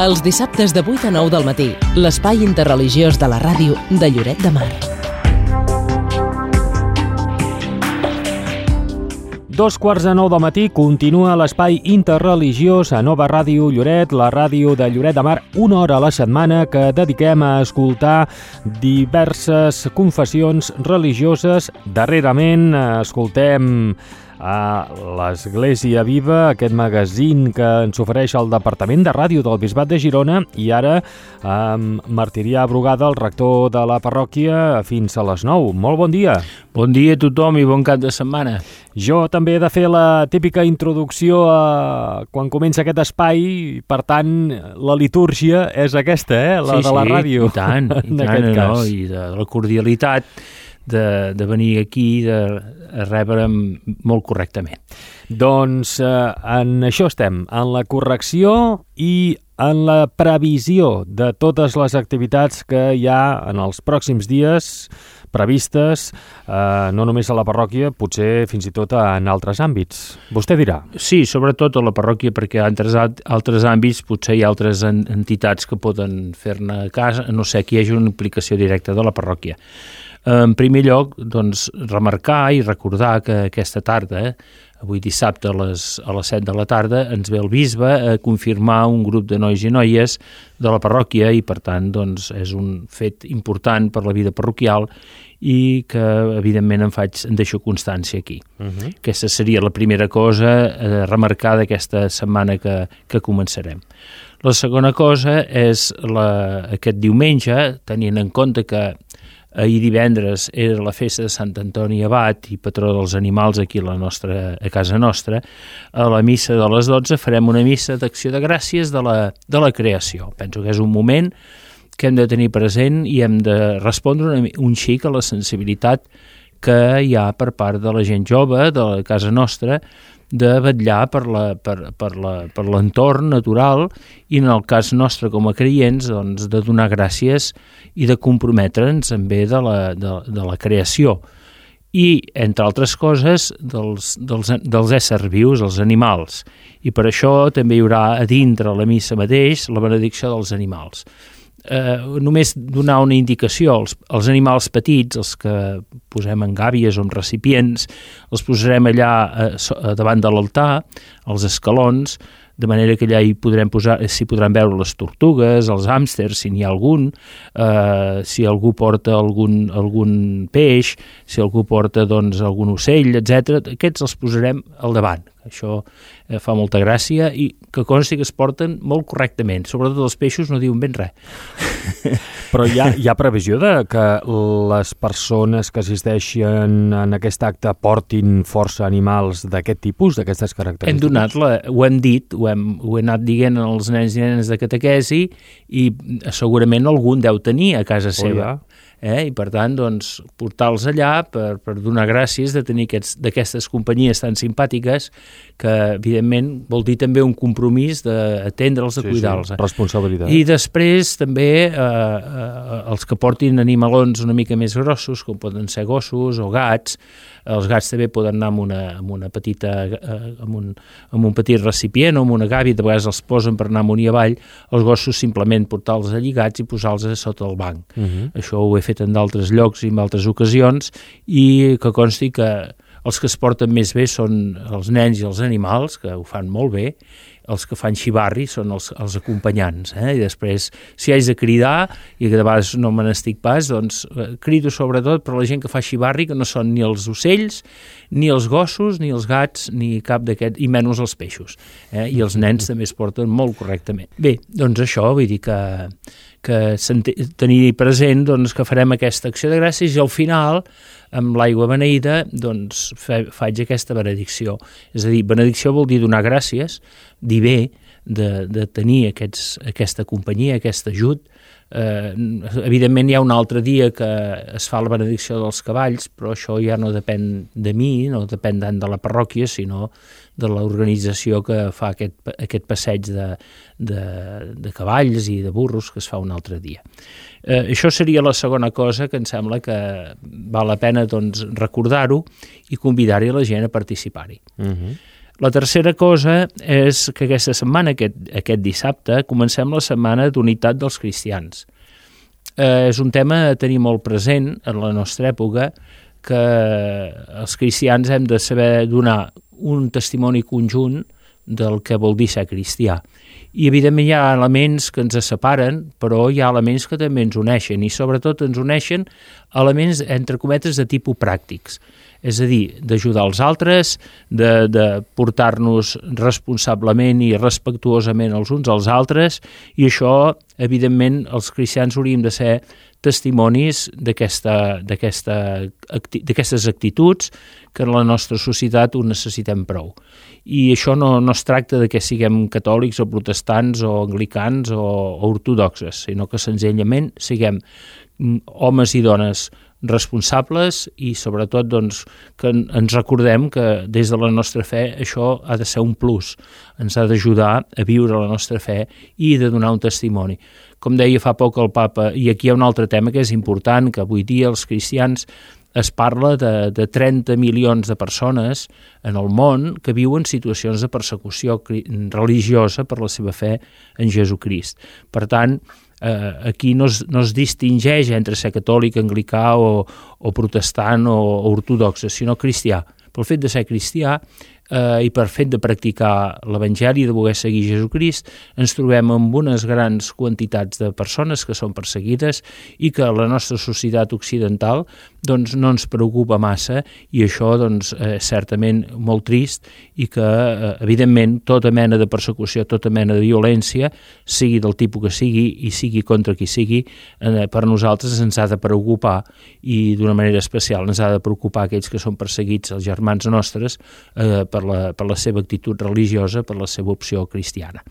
Els dissabtes de 8 a 9 del matí, l'espai interreligiós de la ràdio de Lloret de Mar. 8:45 del matí continua l'espai interreligiós a Nova Ràdio Lloret, la ràdio de Lloret de Mar, una hora a la setmana que dediquem a escoltar diverses confessions religioses. Darrerament escoltem a l'Església Viva, aquest magazín que ens ofereix el Departament de Ràdio del Bisbat de Girona, i ara amb Martirià Brugada, el rector de la parròquia, fins a les 9. Molt bon dia. Bon dia a tothom i bon cap de setmana. Jo també he de fer la típica introducció quan comença aquest espai, per tant, la litúrgia és aquesta, la de la ràdio. I tant, no? I de la cordialitat de venir aquí, de rebre'm molt correctament. Doncs en això estem, en la correcció i en la previsió de totes les activitats que hi ha en els pròxims dies previstes, no només a la parròquia, potser fins i tot en altres àmbits. Vostè dirà. Sí, sobretot a la parròquia, perquè en altres àmbits potser hi ha altres entitats que poden fer-ne cas, no sé, que hi hagi una implicació directa de la parròquia. En primer lloc, doncs, remarcar i recordar que aquesta tarda, avui dissabte a les 7 de la tarda, ens ve el bisbe a confirmar un grup de nois i noies de la parròquia i, per tant, doncs, és un fet important per la vida parroquial i que, evidentment, en deixo constància aquí. Aquesta seria la primera cosa a remarcar d'aquesta setmana que començarem. La segona cosa és aquest diumenge, tenint en compte que ahir divendres era la festa de Sant Antoni Abat i patró dels animals aquí a casa nostra. A la missa de les 12 farem una missa d'acció de gràcies de la creació. Penso que és un moment que hem de tenir present i hem de respondre un xic a la sensibilitat que hi ha per part de la gent jove de casa nostra de vetllar per l'entorn natural i, en el cas nostre com a creients, doncs, de donar gràcies i de comprometre'ns en bé de la creació i, entre altres coses, dels éssers vius, els animals. I per això també hi haurà a dintre la missa mateix la benedicció dels animals. Només donar una indicació, els animals petits, els que posem en gàbies o en recipients, els posarem allà davant de l'altar, als escalons, de manera que allà s'hi podran veure les tortugues, els hàmsters, si n'hi ha algun, si algú porta algun peix, si algú porta doncs, algun ocell, etc. Aquests els posarem al davant. Això fa molta gràcia i que consti que es porten molt correctament. Sobretot els peixos no diuen ben res. Però hi ha previsió de que les persones que assisteixen en aquest acte portin força animals d'aquest tipus, d'aquestes característiques? Ho hem dit, ho he anat dient als nens i nenes de catequesi i segurament algun deu tenir a casa seva. I per tant, doncs, portar-los allà per donar gràcies de tenir d'aquestes companyies tan simpàtiques que, evidentment, vol dir també un compromís d'atendre'ls, de cuidar-los. Responsabilitat. I després també els que portin animalons una mica més grossos, com poden ser gossos o gats, els gats també poden anar amb un petit recipient o amb una gàbia, de vegades els posen per anar amunt i avall, els gossos simplement portar-los lligats i posar-los sota el banc. Això ho he fet en d'altres llocs i en altres ocasions i que consti que els que es porten més bé són els nens i els animals, que ho fan molt bé. Els que fan xivarri són els acompanyants. I després, si haig de cridar, i que de vegades no me n'estic pas, doncs crido sobretot per la gent que fa xivarri, que no són ni els ocells, ni els gossos, ni els gats, ni cap d'aquests, i menys els peixos. I els nens també es porten molt correctament. Bé, doncs això, vull dir que tenir present doncs, que farem aquesta acció de gràcies i al final, amb l'aigua beneïda, doncs faig aquesta benedicció. És a dir, benedicció vol dir donar gràcies, dir bé de tenir aquesta companyia, aquest ajut. Evidentment hi ha un altre dia que es fa la benedicció dels cavalls, però això ja no depèn de mi, no depèn tant de la parròquia, sinó de l'organització que fa aquest passeig de cavalls i de burros que es fa un altre dia. Això seria la segona cosa que em sembla que val la pena doncs, recordar-ho i convidar-hi la gent a participar-hi. La tercera cosa és que aquesta setmana, aquest dissabte, comencem la setmana d'unitat dels cristians. És un tema a tenir molt present en la nostra època, que els cristians hem de saber donar un testimoni conjunt del que vol dir ser cristià. I evidentment hi ha elements que ens separen, però hi ha elements que també ens uneixen, i sobretot ens uneixen elements, entre cometes, de tipus pràctics. És a dir, d'ajudar els altres, de portar-nos responsablement i respectuosament els uns als altres, i això, evidentment, els cristians hauríem de ser testimonis d'aquestes actituds que en la nostra societat ho necessitem prou. I això no es tracta de que siguem catòlics o protestants o anglicans o ortodoxes, sinó que senzillament siguem homes i dones responsables i sobretot doncs, que ens recordem que des de la nostra fe això ha de ser un plus, ens ha d'ajudar a viure la nostra fe i de donar un testimoni. Com deia fa poc el Papa, i aquí hi ha un altre tema que és important, que avui dia els cristians es parla de 30 milions de persones en el món que viuen situacions de persecució religiosa per la seva fe en Jesucrist. Per tant, aquí no es distingeix entre ser catòlic, anglicà o protestant o ortodoxe, sinó cristià. Pel fet de ser cristià i per fet de practicar l'Evangeli, de voler seguir Jesucrist, ens trobem amb unes grans quantitats de persones que són perseguides i que la nostra societat occidental doncs, no ens preocupa massa, i això doncs, és certament molt trist, i que evidentment tota mena de persecució, tota mena de violència, sigui del tipus que sigui i sigui contra qui sigui, per nosaltres ens ha de preocupar, i d'una manera especial ens ha de preocupar aquells que són perseguits, els germans nostres, per la seva actitud religiosa, per la seva opció cristiana.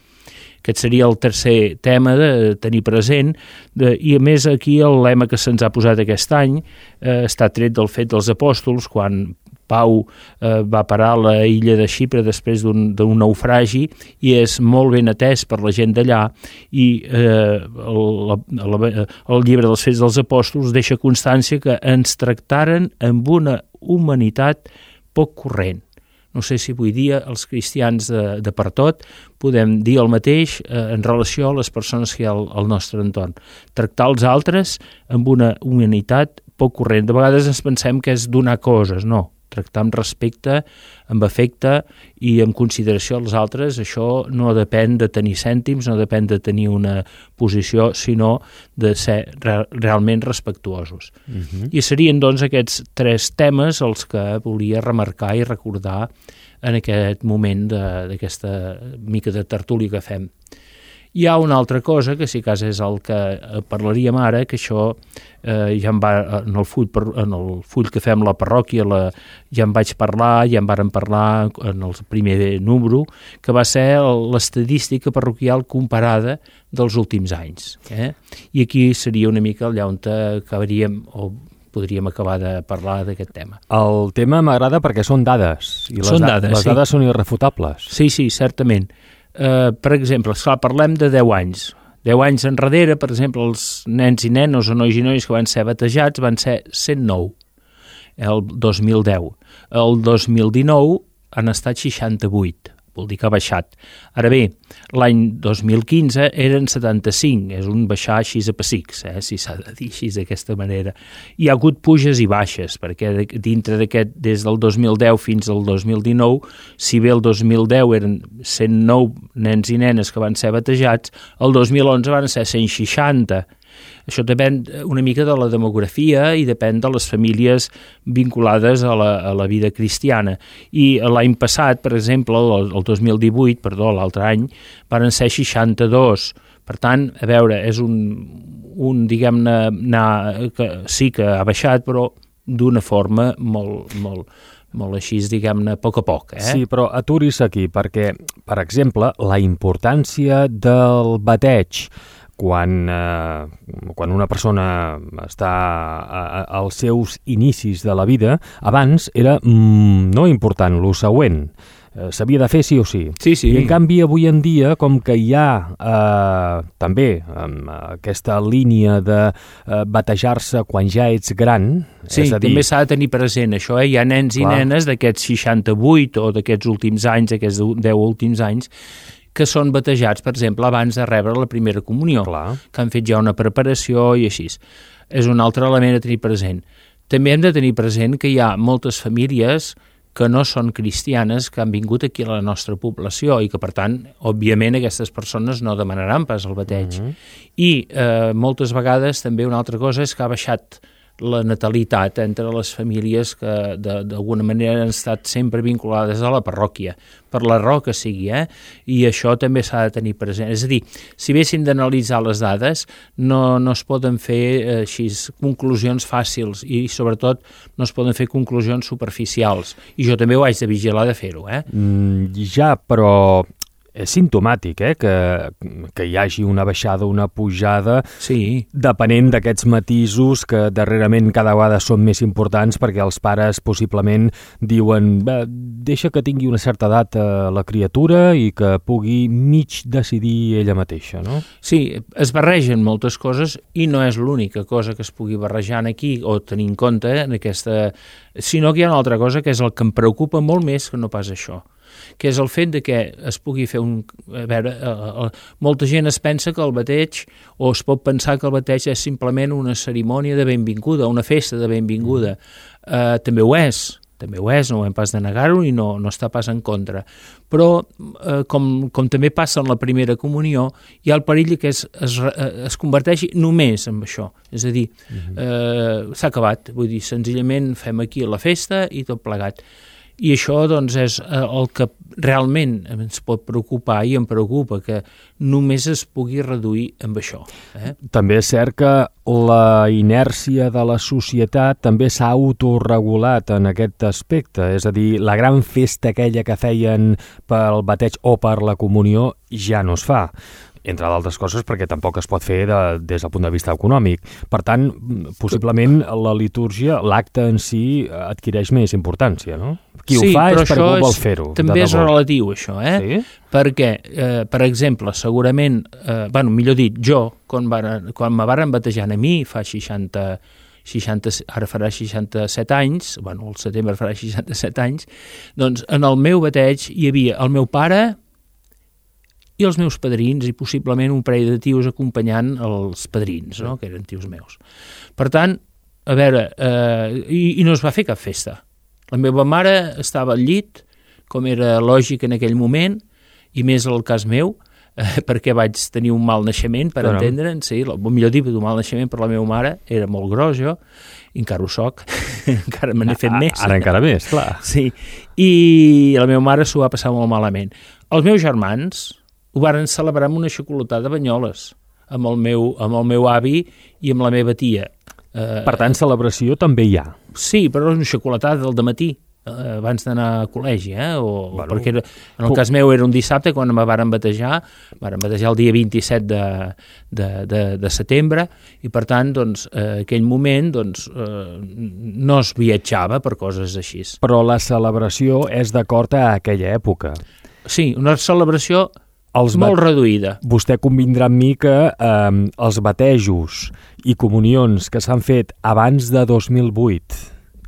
Aquest seria el tercer tema de tenir present, i a més aquí el lema que se'ns ha posat aquest any està tret del fet dels apòstols, quan Pau va parar a la illa de Xipre després d'un naufragi, i és molt ben atès per la gent d'allà, i el llibre dels Fets dels Apòstols deixa constància que ens tractaren amb una humanitat poc corrent. No sé si avui dia els cristians de per tot podem dir el mateix en relació a les persones que hi ha al nostre entorn. Tractar els altres amb una humanitat poc corrent. De vegades ens pensem que és donar coses, no. Tractar amb respecte, amb afecte i amb consideració als altres, això no depèn de tenir cèntims, no depèn de tenir una posició, sinó de ser realment respectuosos. I serien, doncs, aquests tres temes els que volia remarcar i recordar en aquest moment d'aquesta mica de tertúlia que fem. Hi ha una altra cosa, que si cas és el que parlaríem ara, que això ja en va en el full que fem la parròquia, ja en vaig parlar, ja en vàrem parlar en el primer número, que va ser l'estadística parroquial comparada dels últims anys. I aquí seria una mica allà on acabaríem o podríem acabar de parlar d'aquest tema. El tema m'agrada perquè són dades, i les dades són irrefutables. Sí, certament. Per exemple, parlem de 10 anys. 10 anys enrere, per exemple, els nens i nenes o nois i noies que van ser batejats van ser 109, el 2010. El 2019 han estat 68, vol dir que ha baixat. Ara bé, l'any 2015 eren 75, és un baixar així a pessics, si s'ha de dir així d'aquesta manera. Hi ha hagut puges i baixes, perquè dintre d'aquest, des del 2010 fins al 2019, si bé el 2010 eren 109 nens i nenes que van ser batejats, el 2011 van ser 160. Això depèn una mica de la demografia i depèn de les famílies vinculades a la vida cristiana. I l'any passat, per exemple, el 2018, l'altre any, van ser 62. Per tant, a veure, és un diguem-ne, que sí que ha baixat, però d'una forma molt així, diguem-ne, a poc. Sí, però aturi's aquí, perquè, per exemple, la importància del bateig quan una persona està als seus inicis de la vida, abans era no important lo següent. s'havia de fer sí o sí. Sí, sí. I en canvi avui en dia, com que hi ha també aquesta línia de batejar-se quan ja ets gran, sí, és a dir... també s'ha de tenir present això, Hi ha nens i nenes d'aquests 68 o d'aquests últims anys, aquests 10 últims anys, que són batejats, per exemple, abans de rebre la primera comunió, que han fet ja una preparació i així. És un altre element a tenir present. També hem de tenir present que hi ha moltes famílies que no són cristianes, que han vingut aquí a la nostra població i que, per tant, òbviament, aquestes persones no demanaran pas el bateig. I moltes vegades també una altra cosa és que ha baixat la natalitat entre les famílies que d'alguna manera han estat sempre vinculades a la parròquia, per la raó que sigui, i això també s'ha de tenir present. És a dir, si haguéssim d'analitzar les dades, no es poden fer així conclusions fàcils i, sobretot, no es poden fer conclusions superficials. I jo també ho haig de vigilar de fer-ho, Ja, però... és simptomàtic, que hi hagi una baixada, una pujada, sí, depenent d'aquests matisos que darrerament cada vegada són més importants perquè els pares possiblement diuen deixa que tingui una certa edat la criatura i que pugui mig decidir ella mateixa, no? Sí, es barregen moltes coses i no és l'única cosa que es pugui barrejar aquí o tenir en compte en aquesta... sinó que hi ha una altra cosa que és el que em preocupa molt més que no pas això, que és el fet de que es pugui fer un... A veure, molta gent es pensa que el bateig, o es pot pensar que el bateig és simplement una cerimònia de benvinguda, una festa de benvinguda. També ho és, no ho hem pas de negar-ho i no està pas en contra. Però, com també passa en la primera comunió, hi ha el perill que es converteixi només en això. És a dir, s'ha acabat, vull dir, senzillament fem aquí la festa i tot plegat. I això, doncs, és el que realment ens pot preocupar i em preocupa, que només es pugui reduir amb això. També és cert que la inèrcia de la societat també s'ha autorregulat en aquest aspecte, és a dir, la gran festa aquella que feien pel bateig o per la comunió ja no es fa, entre d'altres coses perquè tampoc es pot fer des del punt de vista econòmic. Per tant, possiblement la litúrgia, l'acte en si, adquireix més importància, no? Qui ho fa és perquè vol fer-ho. També és relatiu, això, Sí? Perquè, per exemple, segurament, millor dit, jo, quan me varen batejant a mi, fa 60, ara farà 67 anys, al setembre farà 67 anys, doncs en el meu bateig hi havia el meu pare i els meus padrins i possiblement un parell de tios acompanyant els padrins, no? Que eren tios meus. Per tant, a veure, i no es va fer cap festa. La meva mare estava al llit, com era lògic en aquell moment, i més el cas meu, perquè vaig tenir un mal naixement, per entendre'n, sí, millor dir, un mal naixement per la meva mare, era molt gros jo, i encara ho soc, encara me n'he fet més. Ara encara més, clar. Sí, i la meva mare s'ho va passar molt malament. Els meus germans ho varen celebrar amb una xocolatada de Banyoles, amb el meu avi i amb la meva tia. Per tant, celebració també hi ha. Sí, però és una xocolatada del dematí, abans d'anar a col·legi, perquè en el cas meu era un dissabte quan me varen batejar el dia 27 de setembre, i per tant, doncs, aquell moment no es viatjava per coses així. Però la celebració és d'acord a aquella època. Sí, una celebració molt reduïda. Vostè convindrà amb mi que els batejos i comunions que s'han fet abans de 2008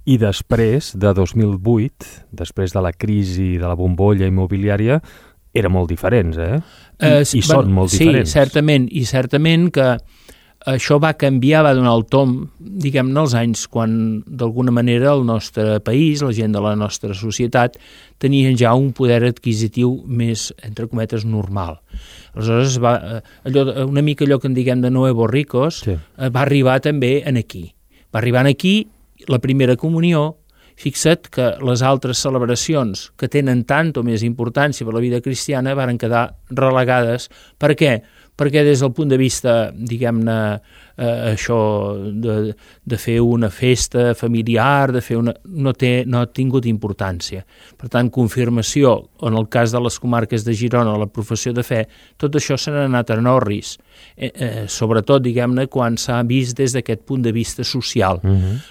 i després de 2008, després de la crisi de la bombolla immobiliària, eren molt diferents, I són molt diferents. Sí, certament que això va canviar, va donar el tomb, diguem-ne, als anys quan, d'alguna manera, el nostre país, la gent de la nostra societat, tenien ja un poder adquisitiu més, entre cometes, normal. Aleshores, una mica allò que en diguem de nuevos ricos, va arribar també aquí. Va arribar aquí la primera comunió. Fixa't que les altres celebracions que tenen tant o més importància per la vida cristiana varen quedar relegades. Per què? perquè des del punt de vista, diguem-ne, això de fer una festa familiar, de fer no ha tingut importància. Per tant, confirmació, en el cas de les comarques de Girona, la professió de fe, tot això se n'ha anat a Norris, sobretot, diguem-ne, quan s'ha vist des d'aquest punt de vista social.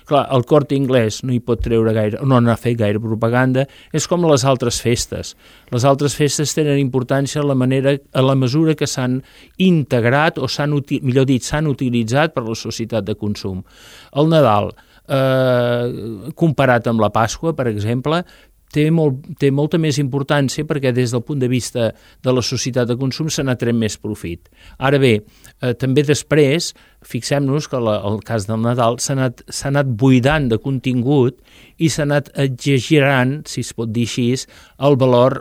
Clar, el Corte Inglés no hi pot treure gaire, no n'ha fet gaire propaganda, és com les altres festes. Les altres festes tenen importància a la mesura que s'han integrat o s'han utilitzat per la societat de consum. El Nadal, comparat amb la Pasqua, per exemple, té molta més importància perquè des del punt de vista de la societat de consum se n'ha tret més profit. Ara bé, també després, fixem-nos que el cas del Nadal s'ha anat buidant de contingut i s'ha anat exagerant, si es pot dir així, el valor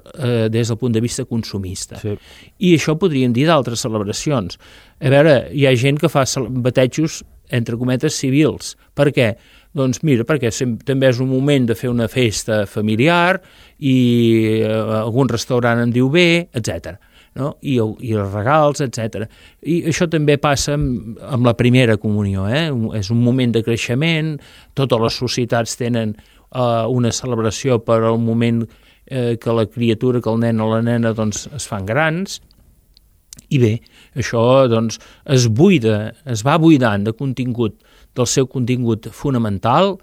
des del punt de vista consumista. Sí. I això podríem dir d'altres celebracions. A veure, hi ha gent que fa batejos, entre cometes, civils. Per què? Doncs mira, perquè també és un moment de fer una festa familiar i algun restaurant en diu bé, etc. No? I els regals, etc. I això també passa amb la primera comunió. És un moment de creixement, totes les societats tenen una celebració per al moment que la criatura, que el nen o la nena doncs, es fan grans, i bé, això doncs, es va buidant de contingut, del seu contingut fonamental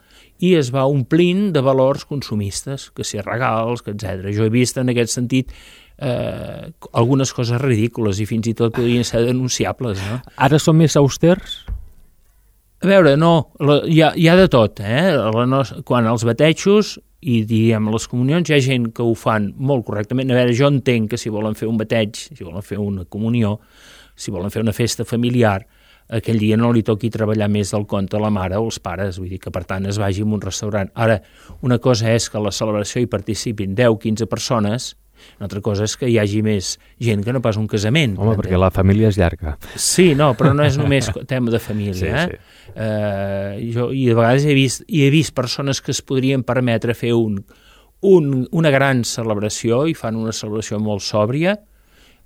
i es va omplint de valors consumistes, que si regals, etc. Jo he vist en aquest sentit algunes coses ridícules i fins i tot podrien ser denunciables. No? Ara són més austers? A veure, no, hi ha de tot. Quan els batejos i diguem les comunions, hi ha gent que ho fan molt correctament. A veure, jo entenc que si volen fer un bateig, si volen fer una comunió, si volen fer una festa familiar, aquell dia no li toqui treballar més del compte a la mare o els pares, vull dir que per tant es vagi a un restaurant. Ara, una cosa és que a la celebració hi participin 10-15 persones, una altra cosa és que hi hagi més gent que no pas un casament. Home, perquè la família és llarga. Sí, no, però no és només tema de família. Sí. Jo i de vegades he vist persones que es podrien permetre fer una gran celebració i fan una celebració molt sòbria,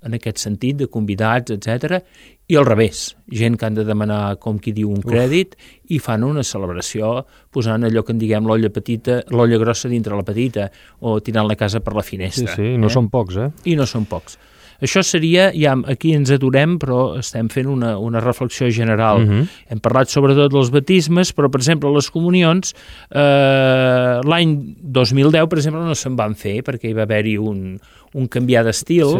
en aquest sentit, de convidats, etc. I al revés, gent que han de demanar, com qui diu, un crèdit i fan una celebració posant allò que en diguem l'olla grossa dintre la petita o tirant la casa per la finestra. Sí, no són pocs, I no són pocs. Això seria, ja aquí ens aturem, però estem fent una reflexió general. Hem parlat sobretot dels batismes, però, per exemple, les comunions, l'any 2010, per exemple, no se'n van fer, perquè hi va haver-hi un canviar d'estil,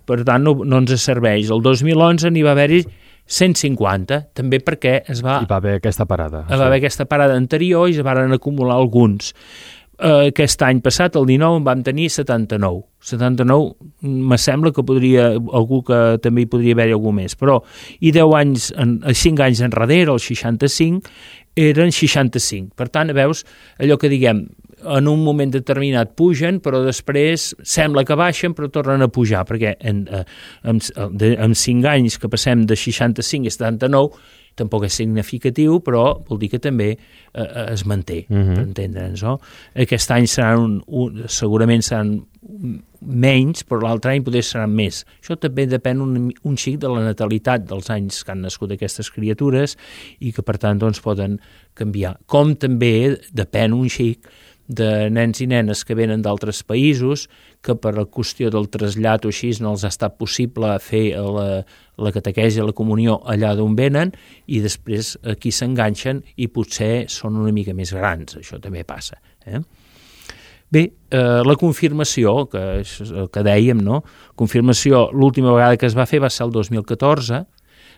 per tant, no ens serveix. El 2011 n'hi va haver-hi 150, també perquè hi va haver aquesta parada. Va haver aquesta parada anterior i es van acumular alguns. Aquest any passat, el 19, en vam tenir 79. 79, me sembla que algú que també hi podria haver-hi algú més, però i 5 anys enrere, el 65, eren 65. Per tant, veus, allò que diguem, en un moment determinat pugen, però després sembla que baixen, però tornen a pujar, perquè en 5 anys que passem de 65 a 79, tampoc és significatiu, però vol dir que també es manté, per entendre'ns. No? Aquest any segurament seran menys, però l'altre any potser seran més. Això també depèn un xic de la natalitat dels anys que han nascut aquestes criatures i que, per tant, doncs, poden canviar. Com també depèn un xic de nens i nenes que venen d'altres països que per la qüestió del trasllat o així no els ha estat possible fer la catequesi, la comunió allà d'on venen i després aquí s'enganxen i potser són una mica més grans, això també passa. Bé, la confirmació, que és el que dèiem, no? Confirmació, l'última vegada que es va fer va ser el 2014,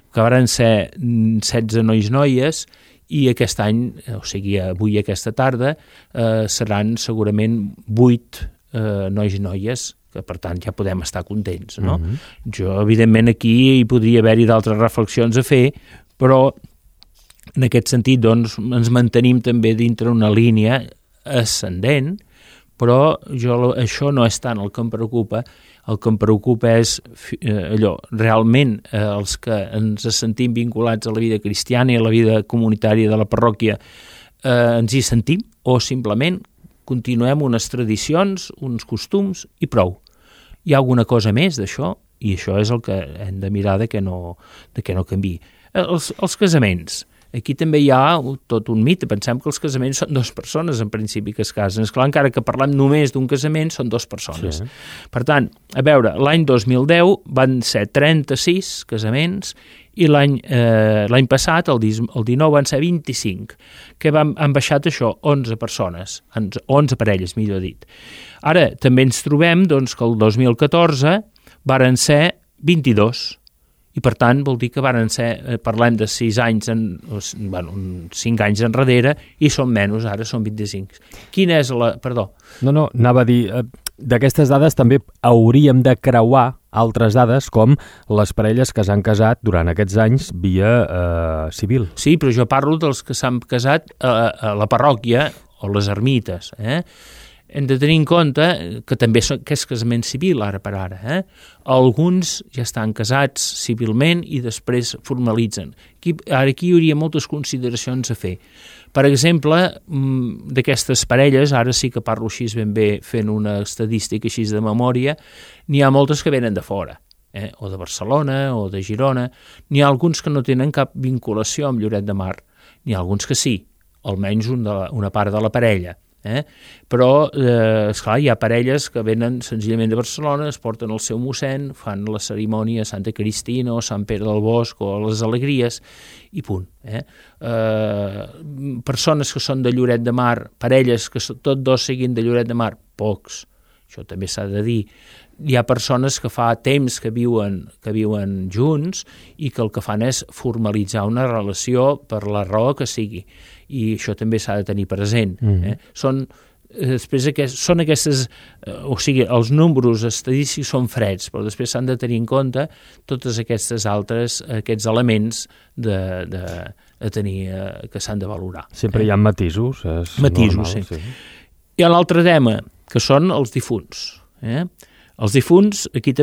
que van ser 16 nois-noies, i aquest any, o sigui, avui aquesta tarda, seran segurament 8 nois i noies, que per tant ja podem estar contents, no? Jo, evidentment, aquí hi podria haver-hi d'altres reflexions a fer, però en aquest sentit, doncs, ens mantenim també dintre una línia ascendent, però això no és tant el que em preocupa. El que em preocupa és realment els que ens sentim vinculats a la vida cristiana i a la vida comunitària de la parròquia ens hi sentim o simplement continuem unes tradicions, uns costums i prou. Hi ha alguna cosa més d'això? i això és el que hem de mirar de que no canviï. Els casaments. Aquí també hi ha tot un mite. Pensem que els casaments són 2 persones, en principi, que es casen. Esclar, encara que parlem només d'un casament, són 2 persones. Sí. Per tant, a veure, l'any 2010 van ser 36 casaments i l'any passat, el 19, van ser 25, que han baixat això, 11 persones, 11 parelles, millor dit. Ara, també ens trobem doncs, que el 2014 varen ser 22, i per tant vol dir que varen ser, parlem de 5 anys enrere, i són menys, ara són 25. Quina és la... Perdó. No, anava a dir, d'aquestes dades també hauríem de creuar altres dades com les parelles que s'han casat durant aquests anys via civil. Sí, però jo parlo dels que s'han casat a la parròquia o les ermites, Hem de tenir en compte que també que és casament civil ara per ara. Alguns ja estan casats civilment i després formalitzen. Aquí hi hauria moltes consideracions a fer. Per exemple, d'aquestes parelles, ara sí que parlo així ben bé fent una estadística així de memòria, n'hi ha moltes que venen de fora, o de Barcelona o de Girona. N'hi ha alguns que no tenen cap vinculació amb Lloret de Mar. N'hi ha alguns que sí, almenys una part de la parella. Però, esclar, hi ha parelles que venen senzillament de Barcelona, es porten el seu mossèn, fan la cerimònia a Santa Cristina o Sant Pere del Bosc o a les Alegries i punt. Persones que són de Lloret de Mar, parelles que tots dos siguin de Lloret de Mar, pocs, això també s'ha de dir. Hi ha persones que fa temps que viuen junts i que el que fan és formalitzar una relació per la raó que sigui, i això també s'ha de tenir present. Són aquestes, o sigui, els números estadístics són freds, però després s'han de tenir en compte totes aquests elements de tenir, que s'han de valorar. Sempre hi ha matisos. Matisos, normal, sí. Hi ha l'altre tema, que són els difunts. Els difunts, aquí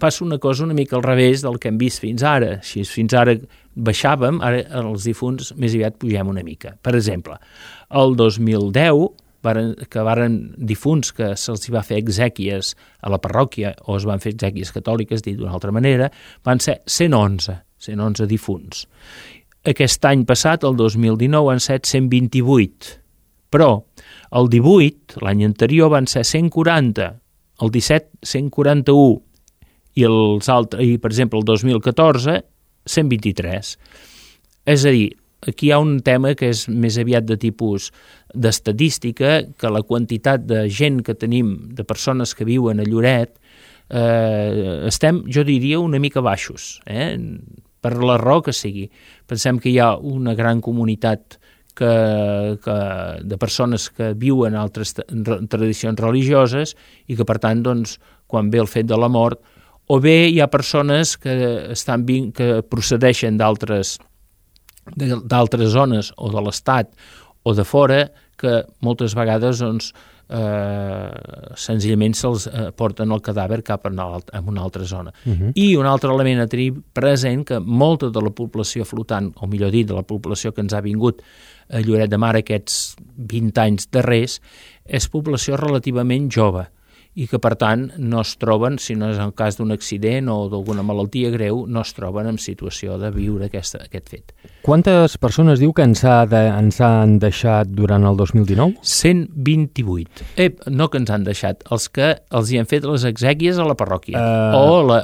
passa una cosa una mica al revés del que hem vist fins ara. Fins ara baixàvem, ara els difunts més aviat pugem una mica. Per exemple, el 2010, que varen difunts que se'ls va fer exèquies a la parròquia, o es van fer exèquies catòliques, dit d'una altra manera, van ser 111 difunts. Aquest any passat, el 2019, han set 128, però el 18, l'any anterior, van ser 140, el 17, 141, i per exemple, el 2014, 123. És a dir, aquí hi ha un tema que és més aviat de tipus d'estadística, que la quantitat de gent que tenim, de persones que viuen a Lloret, estem, jo diria, una mica baixos, per la raó que sigui. Pensem que hi ha una gran comunitat de persones que viuen altres tradicions religioses i que, per tant, doncs, quan ve el fet de la mort, o bé hi ha persones que procedeixen d'altres zones o de l'Estat o de fora, que moltes vegades doncs, senzillament se'ls porten el cadàver cap a una altra zona. I un altre element a tenir present, que molta de la població flotant, o millor dit, de la població que ens ha vingut a Lloret de Mar aquests 20 anys darrers, és població relativament jove, i que, per tant, no es troben, si no és el cas d'un accident o d'alguna malaltia greu, no es troben en situació de viure aquest fet. Quantes persones diu que ens han deixat durant el 2019? 128. No que ens han deixat, els que els hi han fet les exèquies a la parròquia,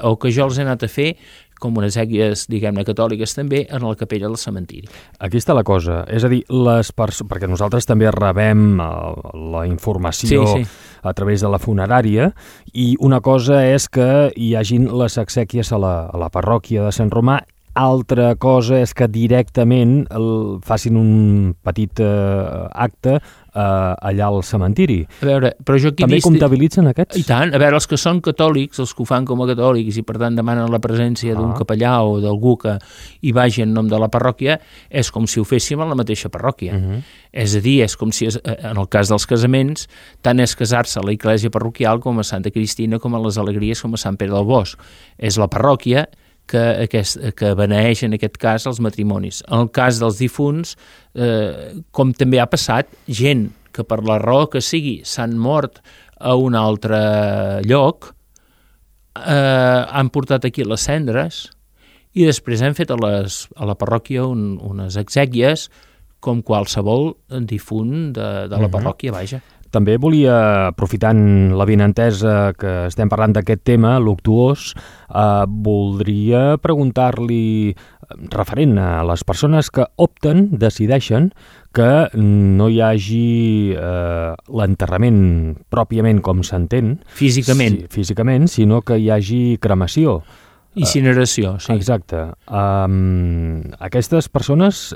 o que jo els he anat a fer com unes exèquies, diguem-ne, catòliques també, en la capella del cementiri. Aquí està la cosa, és a dir, perquè nosaltres també rebem la informació a través de la funerària, i una cosa és que hi hagin les exèquies a la parròquia de Sant Romà, altra cosa és que directament facin un petit acte allà al cementiri. A veure, però jo aquí també comptabilitzen aquests? I tant. A veure, els que són catòlics, els que ho fan com a catòlics i per tant demanen la presència d'un capellà o d'algú que hi vagi en nom de la parròquia, és com si ho féssim a la mateixa parròquia. És a dir, és com si, en el cas dels casaments, tant és casar-se a la església parroquial com a Santa Cristina, com a les Alegries, com a Sant Pere del Bosc. És la parròquia que beneeix en aquest cas els matrimonis. En el cas dels difunts, com també ha passat, gent que per la raó que sigui s'han mort a un altre lloc, han portat aquí les cendres i després hem fet a la parròquia unes exèquies com qualsevol difunt de la parròquia, vaja. També volia, aprofitant l'avinentesa que estem parlant d'aquest tema, luctuós, voldria preguntar-li, referent a les persones que opten, decideixen que no hi hagi l'enterrament pròpiament com s'entén. Físicament. Físicament, sinó que hi hagi cremació. Incineració, sí. Exacte. Aquestes persones...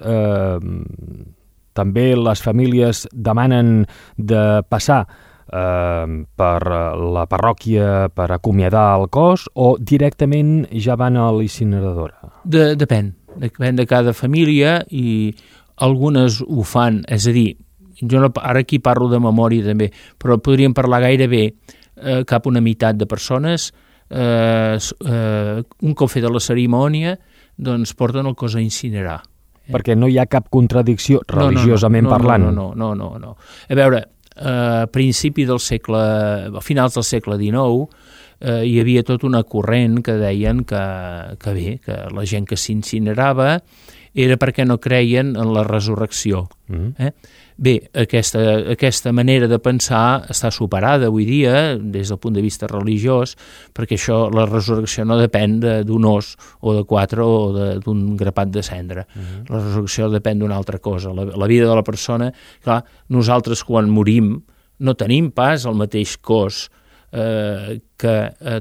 també les famílies demanen de passar per la parròquia per acomiadar el cos o directament ja van a l'incineradora? Depèn de cada família i algunes ho fan, és a dir, jo ara aquí parlo de memòria també, però podríem parlar gairebé cap una meitat de persones, un cop feta la cerimònia, doncs porten el cos a incinerar. Perquè no hi ha cap contradicció religiosament parlant. No. A veure, a finals del segle XIX, hi havia tot una corrent que deien que la gent que s'incinerava era perquè no creien en la resurrecció. Bé, aquesta manera de pensar està superada avui dia des del punt de vista religiós, perquè la resurrecció no depèn d'un os o de 4 o d'un grapat de cendra. La resurrecció depèn d'una altra cosa. La vida de la persona, clar, nosaltres quan morim no tenim pas el mateix cos que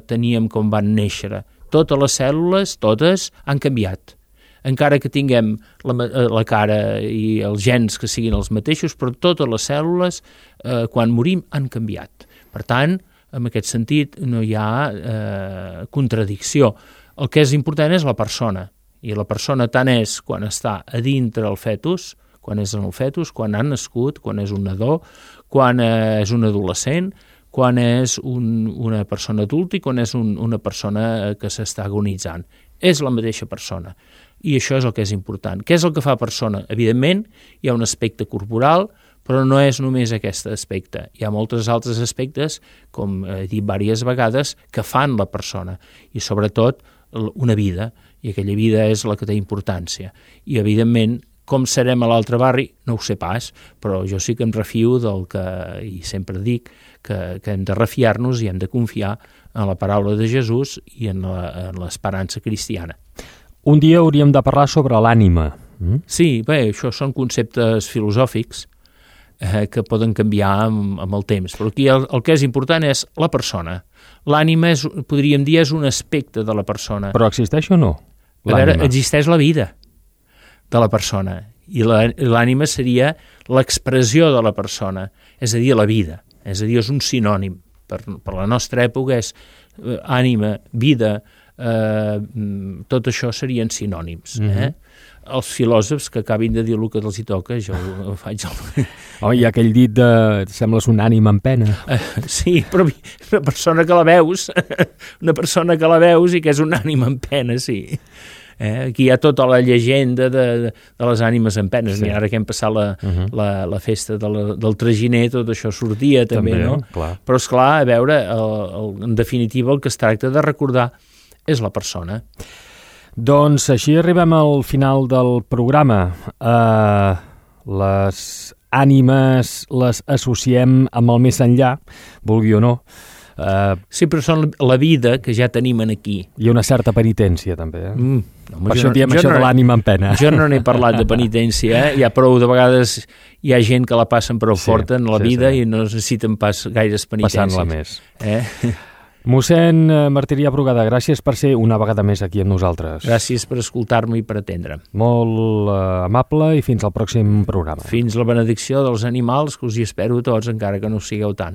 teníem quan van néixer. Totes les cèl·lules, totes, han canviat. Encara que tinguem la cara i els gens que siguin els mateixos, però totes les cèl·lules, quan morim, han canviat. Per tant, en aquest sentit, no hi ha contradicció. El que és important és la persona, i la persona tant és quan està a dintre el fetus, quan és en el fetus, quan ha nascut, quan és un nadó, quan és un adolescent, quan és una persona adulta i quan és una persona que s'està agonitzant. És la mateixa persona. I això és el que és important. Què és el que fa persona? Evidentment, hi ha un aspecte corporal, però no és només aquest aspecte. Hi ha molts altres aspectes, com he dit diverses vegades, que fan la persona. I sobretot una vida. I aquella vida és la que té importància. I evidentment, com serem a l'altre barri, no ho sé pas, però jo sí que em refio del que, i sempre dic, que hem de refiar-nos i hem de confiar en la paraula de Jesús i en l'esperança cristiana. Un dia hauríem de parlar sobre l'ànima. Sí, bé, això són conceptes filosòfics que poden canviar amb el temps, però aquí el que és important és la persona. L'ànima, podríem dir, és un aspecte de la persona. Però existeix o no? A veure, existeix la vida de la persona i l'ànima seria l'expressió de la persona, és a dir, la vida, és a dir, és un sinònim. Per la nostra època és ànima, vida, tot això serien sinònims. Els filòsofs que acabin de dir el que els hi toca, jo ho faig... Hi ha aquell dit de sembles un ànima en pena. Sí, però una persona que la veus i que és un ànima en pena, sí. Aquí hi ha tota la llegenda de les ànimes en penes. Sí. Ara que hem passat la festa del traginer, tot això sortia també, no? Clar. Però esclar, a veure, en definitiva el que es tracta de recordar és la persona. Doncs així arribem al final del programa. Les ànimes les associem amb el més enllà, vulgui o no. Sí, però són la vida que ja tenim aquí. Hi ha una certa penitència, també. Per això diem això de l'ànima en pena. Jo no n'he parlat de penitència. Hi ha prou, de vegades hi ha gent que la passen prou forta en la vida i no necessiten pas gaires penitències. Passant-la més. Mossèn Martirià Brugada, gràcies per ser una vegada més aquí amb nosaltres. Gràcies per escoltar-me i per atendre. Molt amable i fins al pròxim programa. Fins la benedicció dels animals, que us hi espero tots, encara que no ho sigueu tant.